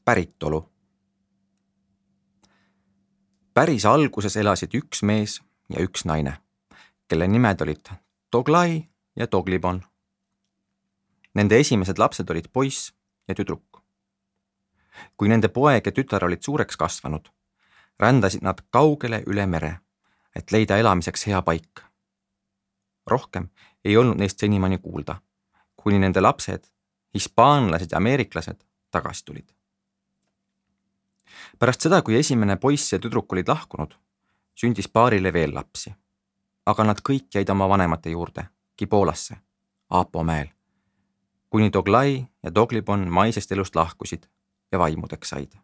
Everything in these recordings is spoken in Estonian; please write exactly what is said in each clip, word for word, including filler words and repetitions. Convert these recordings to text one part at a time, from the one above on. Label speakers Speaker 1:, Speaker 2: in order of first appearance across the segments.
Speaker 1: päritolu. Päris alguses elasid üks mees ja üks naine, kelle nimed olid Toglai ja Toglibon. Nende esimesed lapsed olid poiss ja tüdruk. Kui nende poeg ja tütar olid suureks kasvanud, rändasid nad kaugele üle mere, et leida elamiseks hea paik. Rohkem ei olnud neist senimani kuulda, kuni nende lapsed, hispaanlased ja ameeriklased, tagasi tulid. Pärast seda, kui esimene poiss ja tüdruk olid lahkunud, sündis paarile veel lapsi, aga nad kõik jäid oma vanemate juurde, Gibolasse, Aapo mäel, kuni Toglai ja Toglibon maisest elust lahkusid ja vaimudeks said.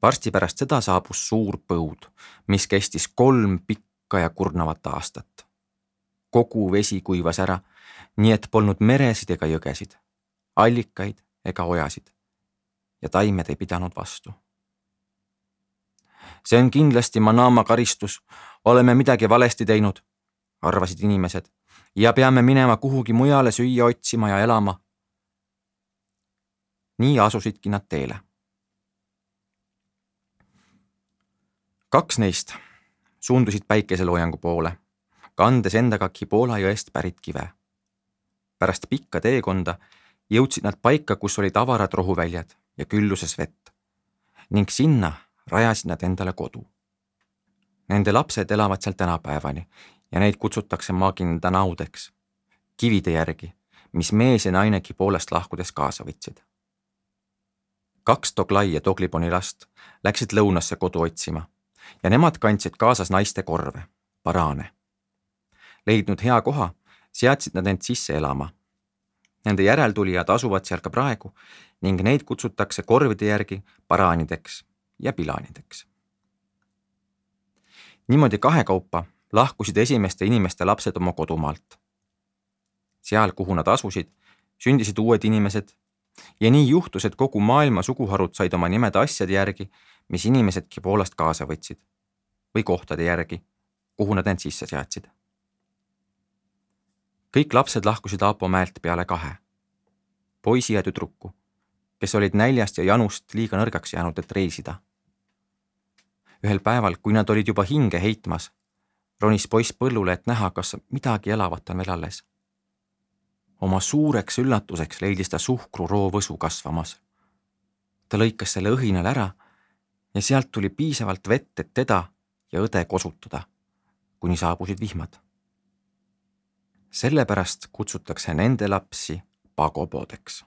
Speaker 1: Varsti pärast seda saabus suur põud, mis kestis kolm pikka ja kurnavat aastat. Kogu vesi kuivas ära, nii et polnud meresid ega jõgesid, allikaid ega ojasid ja taimed ei pidanud vastu. See on kindlasti Manama karistus, oleme midagi valesti teinud, arvasid inimesed, ja peame minema kuhugi mujale süüa otsima ja elama. Nii asusidki nad teele. Kaks neist suundusid päikeseloojangu poole, kandes endaga Gibola jõest pärit kive. Pärast pikka teekonda jõudsid nad paika, kus olid avarad rohuväljad ja külluses vett, ning sinna rajasid nad endale kodu. Nende lapsed elavad seal tänapäevani ja neid kutsutakse Magindanaudeks, kivide järgi, mis mees ja naine Gibolast lahkudes kaasa võtsid. Kaks Toglai ja Togliboni last läksid lõunasse kodu otsima ja nemad kandsid kaasas naiste korve, paraane. Leidnud hea koha, seadsid nad end sisse elama. Nende järeltulijad asuvad seal ka praegu ning neid kutsutakse korvide järgi paraanideks ja pilaanideks. Niimoodi kahekaupa lahkusid esimeste inimeste lapsed oma kodumaalt. Seal, kuhu nad asusid, sündisid uued inimesed ja nii juhtus, et kogu maailma suguharud said oma nimed asjade järgi, mis inimesed Gibolast kaasa võtsid, või kohtade järgi, kuhu nad end sisse seadsid. Kõik lapsed lahkusid Aapo mäelt peale kahe, poisi ja tüdruku, kes olid näljast ja janust liiga nõrgaks jäänud, et reisida. Ühel päeval, kui nad olid juba hinge heitmas, ronis poiss põllule, et näha, kas midagi elavat on veel alles. Oma suureks üllatuseks leidis ta suhkru roovõsu kasvamas. Ta lõikas selle õhinal ära ja sealt tuli piisavalt vett, et teda ja õde kosutada, kuni saabusid vihmad. Sellepärast kutsutakse nende lapsi pagobodeks.